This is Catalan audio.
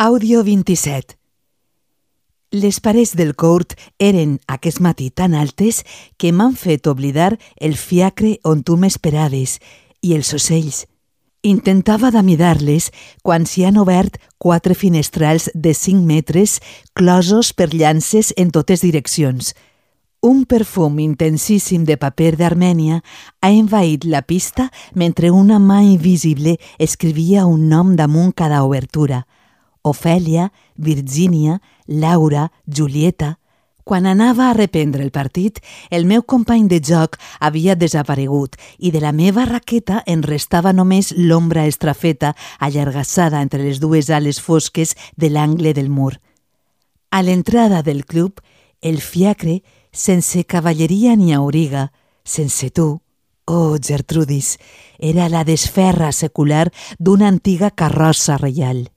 Àudio 27. Les parets del court eren aquest matí tan altes que m'han fet oblidar el fiacre on tu m'esperaves i els ocells. Intentava d'amidar-les quan s'hi han obert 4 finestrals de 5 metres closos per llances en totes direccions. Un perfum intensíssim de paper d'Armènia ha envaït la pista mentre una mà invisible escrivia un nom damunt cada obertura. Ofèlia, Virgínia, Laura, Julieta. Quan anava a reprendre el partit, el meu company de joc havia desaparegut i de la meva raqueta en restava només l'ombra estrafeta allargassada entre les dues ales fosques de l'angle del mur. A l'entrada del club, el fiacre, sense cavalleria ni auriga, sense tu, oh Gertrudis, era la desferra secular d'una antiga carrossa reial.